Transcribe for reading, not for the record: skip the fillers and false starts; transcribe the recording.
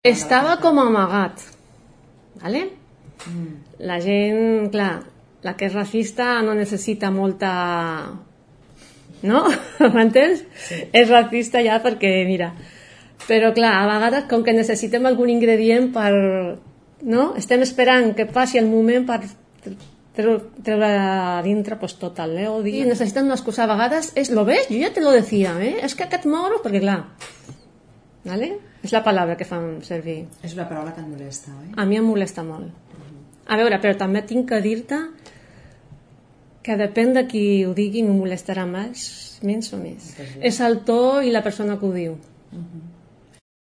Estava com amagat, ¿vale? La gent, clar, la que és racista no necessita molta... No? M'entens? Sí. És racista ja perquè, mira... Però clar, a vegades com que necessitem algun ingredient per... No? Estem esperant que passi el moment per treure a dintre pues, tot l'odi. I necessiten una excusa. A vegades és, lo ves? Jo ja te lo decía, és que aquest moro... Perquè clar, ¿vale? És la paraula que fan servir. És una paraula que et molesta, oi? A mi em molesta molt. A veure, però també tinc que dir-te que depèn de qui ho digui, no molestarà més o més. És el to i la persona que ho diu.